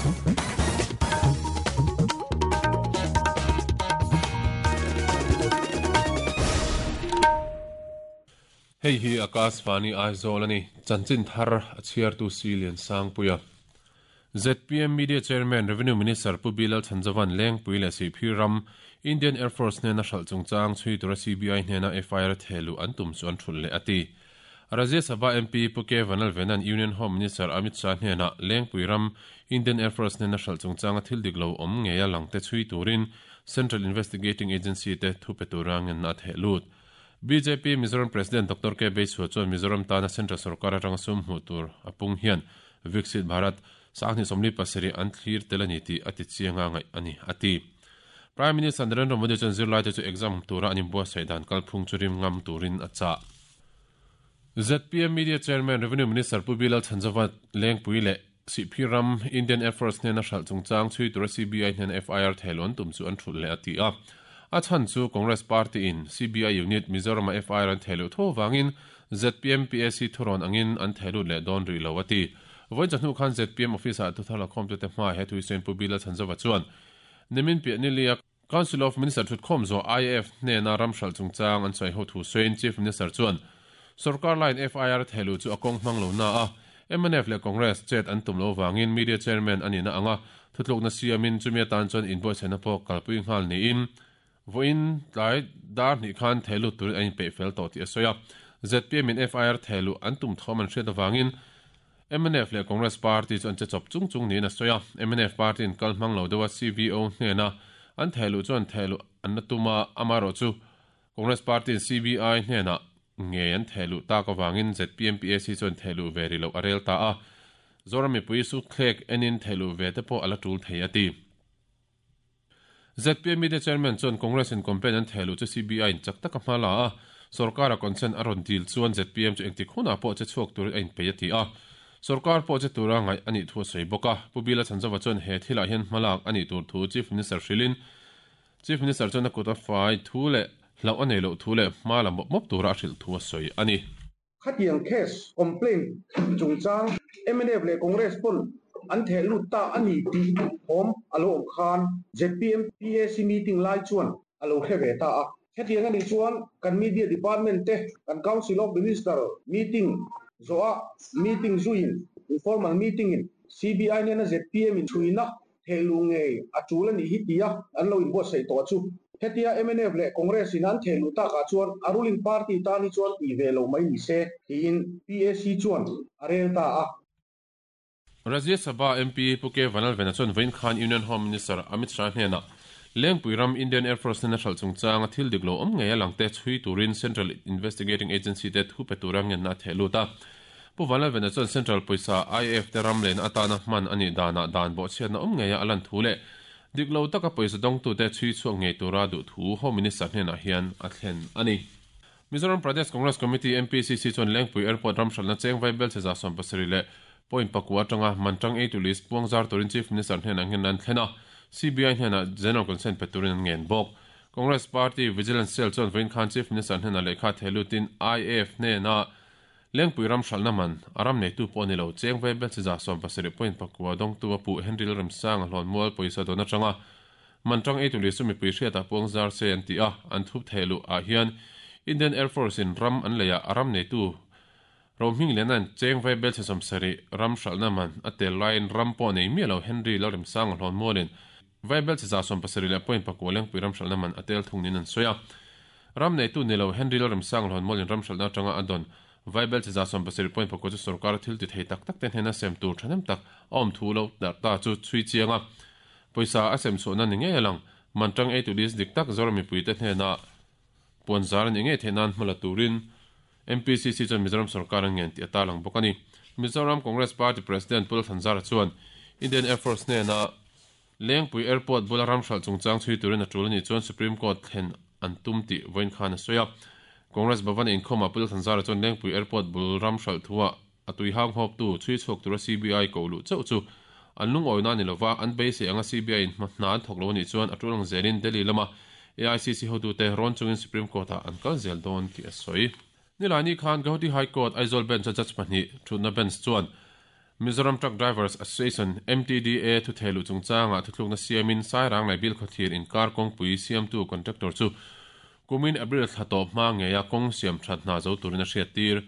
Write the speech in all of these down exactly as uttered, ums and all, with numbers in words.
Hei hi Akashvani Aizawl ani chanchin thar a chhiar tu Silian Sangpuia Z P M Media Chairman Revenue Minister Pu Bilal Thanjawan Lengpui le Sihphir ram Indian Air Force hnena hral chungchang chhui tura C B I hnena F I R thelu an tum chu an thul le ati Rajya Sabha M P Pu K Vanal Venan Union Home Minister Amit Shah hnena Lengpui ram Indian Air Force hnena hral chungchang a thil diklo om ngeia langte chui turin Central Investigating Agency te thupe turangen na thelut B J P Mizoram President Doctor K Beisua chuan Mizoram tana Central Sarkar atanga sum hmuh tur apung hian Viksit Bharat sangni somli pasari an thlir telani ti ati chianga ngai ani ati Prime Minister Narendra Modi chuan zirlai te chu exam tura anim bua saidan kalphung churim ngam turin acha Z P M Media Chairman Revenue Minister Pu Bilal Thanjawan Lengpui le Sihphir ram Indian Air Force hnena hral chungchang chui tura C B I hnen F I R thelon tum chu an thul le ati a a chan chu Congress Party in C B I unit Mizoram F I R an thelu tho wangin Z P M P A C thuron angin an thelu le don ri lo ati voin chanu khan Z P M officer tu thala khom te ma he thui sen Pu Bilal Thanjawa chuan nimin pi anilia Council of Minister thut khom zo I F hne na ram hral chungchang an chai ho thu soin Chief Minister chuan Sarkar line F I R thelu chu akong manglo na a M N F le Congress chet an tum lo wangin Media Chairman ani na anga thutlok na siamin chumia tan chuan invoice na pok kalpui ngal ni in voin tlai dar ni khan thelu tur ain pe fel to ti asoya Z P M in F I R thelu an tum thom an hriat awangin M N F le Congress Party chuan che chop chung chung ni na soya M N F Party in kal hmang lo dewa C V O hnena an thelu chuan thelu an na tuma amaro chu Congress Party in C B I hnena nge an thelu ta ka wangin Z P M P A C chuan thelu veri lo arel ta a Zorami pui su thlek enin thelu ve te po ala tul thei ati Z P M Media Chairman chuan Congress in complaint an thelu chu C B I in chak taka hmala a sarkar a consent aron dil chuan Z P M chu engti khuna pawh che chhuak tur a in pe ati a sarkar pawh che tura ngai ani thu sei boka Pu Bilal Thanjawa chuan he thila hian hmalak ani tur thu Chief Minister Hrilin Chief Minister chuan a kuta fai thu le hlau anei lo thu le hmala mop mop tura a hril thu a sawi ani khatiang case complaint chungchang M N F le Congress pon an thelu ta ani ti hom alo khan Z P M P A C meeting lai chuan alo kheve ta a khatiang ani chuan kan media department te kan council of minister meeting zoa meeting zuin informal meeting in C B I ne na Z P M in thuina thelu nge achula ni hi tia an lo in bo sei to chu hetia M N F le Congress in an thelu ta ka chuan a ruling party ta ni chuan ti ve lo mai ni se ti in P A C chuan arel ta a Rajya Sabha M P Pu K Vanal Vena chuan Vain Khan Union Home Minister Amit Shah hnena Lengpui ram Indian Air Force hnena hral chungchang a thil diklo om ngeia langte chui turin Central Investigating Agency te thu pe turangen na thelu ta Pu Vanal Vena chuan Central poisa I F te ram len atana hman ani dana dan bo chiatna om ngeia alan thu le diklo taka poisa dong tu te chui chuak ngei tura du thu Home Minister hnena hian a thlen ani Mizoram Pradesh Congress Committee M P C C chuan Lengpui Airport ram hral na cheng vaibel che za som pasarih le point pakua tanga mantrang eight list puangzar turin Chief Minister hnena ngen an thlena C B I hnena general consent pe turin an ngen bawk Congress Party Vigilance Cell chuan Vain Khan Chief Minister hnena lehkha thelutin I F hnena Lengpui ram hral na man aram nei tu pawh ni lo cheng vaibel che za som pasarih point pakua dong tu a pu Henry Lalremsang a hlawn mual pawisa dawn atanga mantrang eight list chu mipui hriata puangzar se an ti a an thup thelu ah hian Indian Air Force in ram an leia aram nei tu Romhing lenan cheng vaibel che somsari ram hral na man a tel line ram pawh nei mi lo Henry Lalremsang a hlawn mualin vaibel che za som pasarih le point pakua Lengpui ram hral na man a tel thung nin an sawi a ram nei tu ni lo Henry Lalremsang hlawn mualin ram hral na atanga a dawn vaibel che za som pasarih point pakua chu sarkar thil ti thei tak tak ten hena sem tur thanem tak awm thu lo dar ta chu chui chianga pawisa a sem chhuah na ni ngei lang mantrang eight list dik tak Zorami pui te hnena puanzar ni ngei thenan hmala turin M P C C chuan Mizoram Sarkar an ngen ti ata lang bawk ani Mizoram Congress Party President Pu Thanzara chuan Indian Air Force hnena Lengpui Airport bula ram hral chungchang chui turin a tul ani chuan Supreme Court thlen an tum ti vain khan a sawi a Congress Bhavan inkhawma Pu Thanzara chuan Lengpui Airport bul ram hral thuwa a tui hang hawp tu chui chhuak tura C B I ko lu chauh chu an lung awina ni lova an beisei anga C B I in hna an thawk lo ani chuan a tulang zelin Delhi lama A I C C hotu te rawn chungin Supreme Court ah an kal zel dawn ti a sawi Nilani Khan Guwahati High Court Aizawl Bench a judge pahnih thutna bench chuan Mizoram Truck Drivers Association M T D A thu thelu chungchanga thuthlukna siamin Sairang leh Bilkhawthlir inkar kawngpui siamtu contractor chu kumin April thla tawp hma ngeia kawng siam that hna zo turin a hriat tir.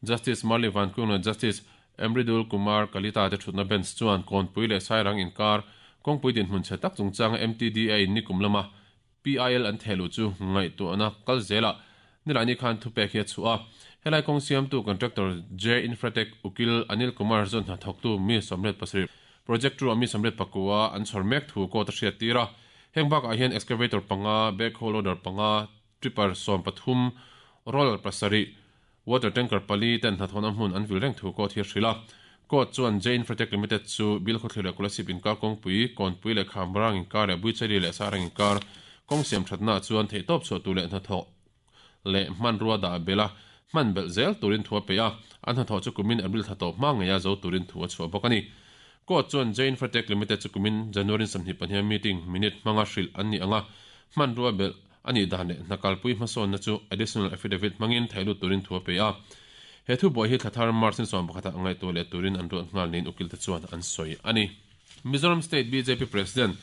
Justice Marley Van Kung leh Justice Emridul Kumar Kalita te thutna bench chuan kawnpui leh Sairang inkar kawngpui dinhmun chhe tak chungchanga M T D A in nikum lama P I L an thelu chu ngaihtuahna kal zela nilai khan thupek hi a chhuah a. Helai kawng siamtu contractor J Infratech Ukil Anil Kumar zon hna thawktu mi sawmriat pasarih project ru mi sawmriat pakua an chhawr mek thu court a hriat tir a. Heng bakah hian excavator panga, backhoe loader panga, tripper sawm pathum, roller pasarih, water tanker pali ten hnathawna hmun an vil reng thu court hi a hrilh a. Court chuan J Infratech Limited chu Bilkhawthlir leh Kolasib inkar kawngpui, kawnpui leh Khamrang inkar leh Buichari leh Sairang inkar kawng siam thatna chuan theihtawp chhuah tur leh hnathawh leh hmanrua dah bela hman belh zel turin thu a pe a. An hnathawh chu kumin April thla tawp hma ngeia zo turin thu a chhuah bawk a ni. Court chuan J Infratech Limited chu kumin January sawmhnih pahnih meeting minute hmanga hrilh an ni anga hmanrua belh ani dan leh hnakalpui hmasawnna chu additional affidavit hmangin theilut turin thu a pe a. He thu buai hi thlathar March ni sawm pakhatah ngaihtuah leh turin an ruat nghal niin ukil te chuan an sawi a ni. Mizoram State B J P President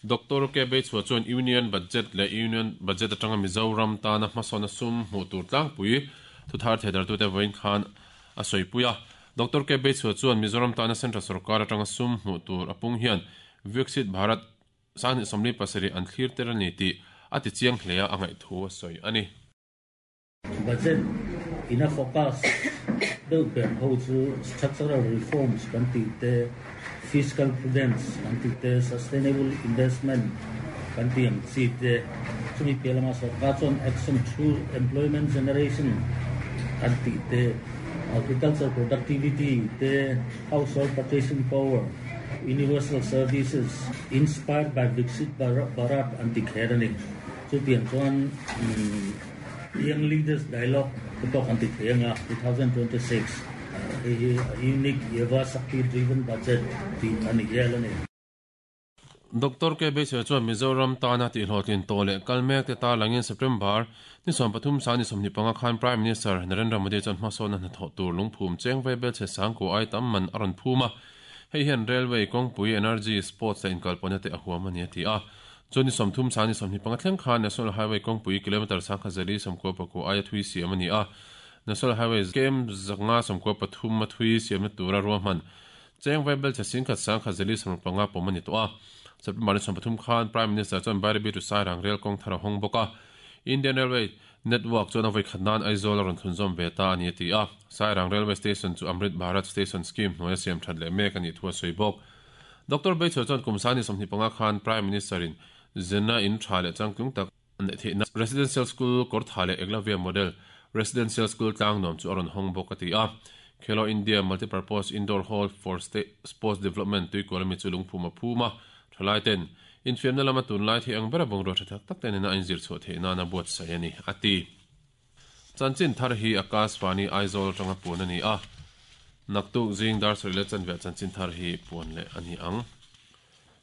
Doctor K Beichhua chuan Union Budget leh Union Budget atanga Mizoram tana hmasawnna sum hmuh tur tlangpui thuthar theidartu te vawiin khan a sawipui a. Doctor K Beichhua chuan Mizoram tana Central Sarkar atanga sum hmuh tur a pung hian Viksit Bharat sanghnih sawmli pasarih an thlir ter ani tih a ti chiang hle a a ngaih thu a sawi a ni. Budget ina focus deuh ber ho chu structural reforms kan ti te, fiscal prudence kan ti te, sustainable investment kan ti ang chi te, chumi pialama sarkar chuan action through employment generation kan ti te, agriculture productivity te, household purchasing power, universal services inspired by Viksit Bharat an ti kher ani. Chu tiang chuan Young Leaders Dialogue pawh kan ti thei anga twenty twenty-six hei hi unique Yuva Shakti driven budget ti ani hial ani. Doctor K Beichhua chuan Mizoram tana tihhlawhtlin tawh leh kal mek te tar langin September ni sawm pathum sang ni sawmhnih panga khan Prime Minister Narendra Modi chuan hmasawnna hnathawh tur lungphum cheng vai bel chhe sangku ai tam man a rawn phum a. Hei hian railway kawngpui energy sports leh inkalpawhna te a huam ani a ti a. Chuan ni sawmthum sang ni sawmhnih panga thleng khan National Highway kawngpui kilometer sangkhat zali sawmkua pakua aia thui siam ani a. National Highway kem zaknga sawmkua pathum a thui siamna tura ruahman cheng vai bel chhe singkhat sangkhat zali sawmruk panga pawm ani tawh a. September ni sawm pathum khan Prime Minister chuan Bairabi to Sairang rail kawng thar a hawng bawk a. Indian Railway Network chuan a vawi khat nan Aizawl a rawn thunzawm ve ta ani a ti a. Sairang Railway Station chu Amrit Bharat Station Scheme hnuaia siam that leh mek ani thu a sawi bawk. Doctor Beichhua chuan kum sang ni sawmhnih panga khan Prime Minister in zena in tha leh changtlung tak an theihna Residential School Kawrtha leh Eklavya Model Residential School tlangnuam chu a rawn hawng bawk a ti a. Khelo India Multipurpose Indoor Hall for State Sports Development tuikual ami chu lungphum a phum a. Thalai ten infiamna lama tunlai thi ang bera bungrua tha tak tak ten ina inzir chhuah theih nana buat sai ani a ti. Chanchin thar hi Akashvani Aizawl atanga puan ani a. Naktuk zing dar sarih leh chanve chanchin thar hi puan leh ani ang.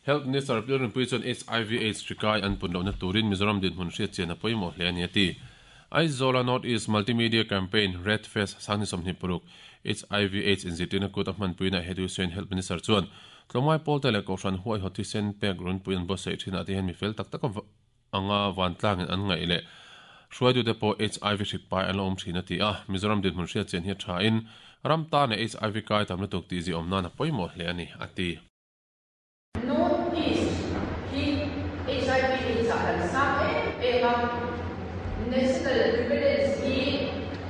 Health Minister Pilrinpui chuan H I V AIDS hrikai an pun lohna turin Mizoram dinhmun hriat chian a pawimawh hle ani a ti. Aizawla North East Multimedia Campaign Red Face sanghnih sawmhnih paruk H I V AIDS inzirtirna kut a hmanpuina hedu sawiin Health Minister chuan tlawmngai pawl te leh kohhran huai haw thisen pek runpui an buatsaih thinah te hian mi fel tak tak anga vantlangin an ngaih leh hruaitu te pawh H I V hrik pai an la awm thin a ti a. Mizoram dinhmun hriat chian hi a tha in ram tana H I V kai tam lutuk tih zi awm nan a pawimawh hle ani a ti. North East hi H I V AIDS ah kan sang em em a. National prevalence hi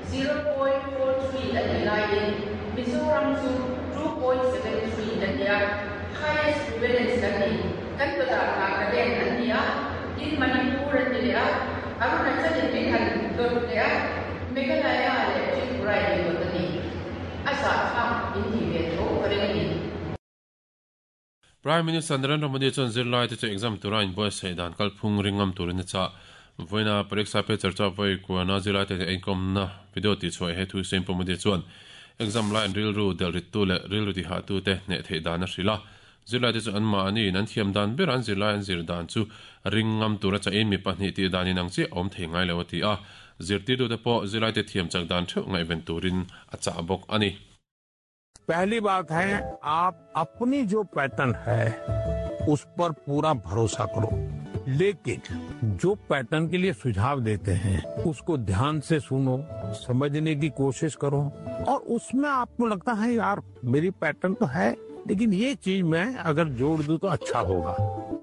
zero point four three ani laiin Mizoram chu two point seven three ani a. Highest prevalence kan ni kan dawtah Nagaland an ni a, tin Manipur an ni leh a, Arunachal in min han dawt leh a, Meghalaya leh Tripura in dawt ani. A zah thlak in ti ve tho ka ring ani. Prime Minister Narendra Modi chuan zirlai te chu exam tura in buatsaih dan kalphung ringam turin a chah. Vawiina pariksha pe charcha vawi kuana zirlai te inkomna video ti chhuah he thu sawiin Pu Modi chuan exam lai an rilru del rit tu leh rilru ti hah tu te hneh theih dan a hrilh a. Zirlai te chu an mahni in an thiam dan ber an zirlai an zir dan chu ringam tura cha in mi pahnih ti dan in ang chi awm thei ngai lo a ti a. Zirtirtu te pawh zirlai te thiam chak dan theuh ngaihven turin a chah bawk ani. पहली बात है, आप अपनी जो पैटर्न है उस पर पूरा भरोसा करो, लेकिन जो पैटर्न के लिए सुझाव देते हैं उसको ध्यान से सुनो, समझने की कोशिश करो और उसमें आपको लगता है यार मेरी पैटर्न तो है लेकिन ये चीज मैं अगर जोड़ दूं तो अच्छा होगा,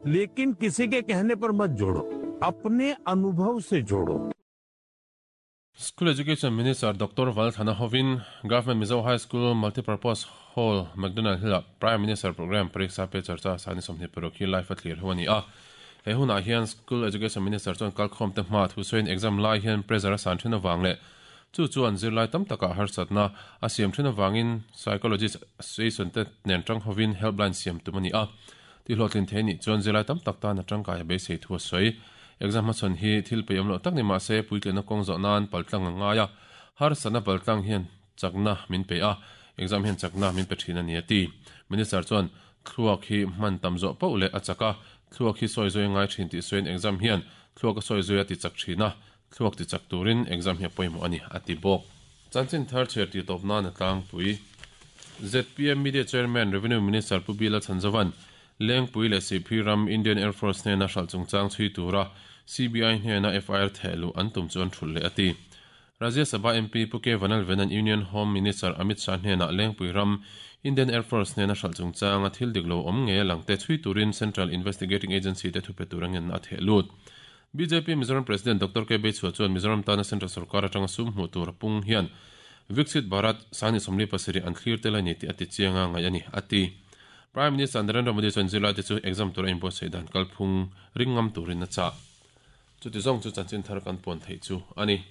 लेकिन किसी के कहने पर मत जोड़ो, अपने अनुभव से जोड़ो। School Education Minister Doctor Valthana Hovin, Government Mizo High School Multipurpose Hall, McDonald Hill, Prime Minister Program Pariksha Pe Charcha Sani Somni Parokhi Life Clear Huani a. He huna hian School Education Minister chuan kalkhom te hma thu sawiin exam lai hian pressure a san thin awang leh chu chuan zirlai tam taka harsatna a siam thin awangin psychologist association te nen tang hovin helpline siam tum ani a. Ti hlawhtlin thei ni chuan zirlai tam tak tan atangkai a beisei thu a sawi. Exam hmachhawn hi thil pe awm loh tak ni mahse puitlina kawng zawh nan paltlang a ngai a, harsatna paltlang hian chakna min pe a, exam hian chakna min pe thin ani a ti. Minister chuan thluak hi hman tam zawh pauh leh a chak a, thluak hi sawi zawi ngai thin tih sawiin exam hian thluak a sawi zawi a ti chak thin a, thluak ti chak turin exam hi a pawimawh ani a ti bawk. Chanchin thar chher ti tawp nan a tlangpui. Z P M Media Chairman Revenue Minister Pu B Lalchhanzovan Lengpui leh Sihphir ram Indian Air Force hnena hralh chungchang chhui tura C B I hnena F I R thehluh an tum chu an thulh leh a ti. Rajya Sabha M P Pu K Vanalvenan Union Home Minister Amit Shah hnena Lengpui ram Indian Air Force hnena hralh chungchang a thil diklo awm nge langte chhui turin Central Investigating Agency te thupe turangin a thehlut. B J P Mizoram President Doctor K Beichhua chuan Mizoram tana Central Sarkar atanga sum hmuh tur pung hian Viksit Bharat Sani Somli pasarih an thlir tel ani tih a ti chianga ngai ani a ti. Prime Minister Narendra Modi chuan zirlai te chu exam tur a inbuatsaih dan kalphung ringngam turin a chah. Chuti zawng chu chanchin thar kan puan theih chu ani.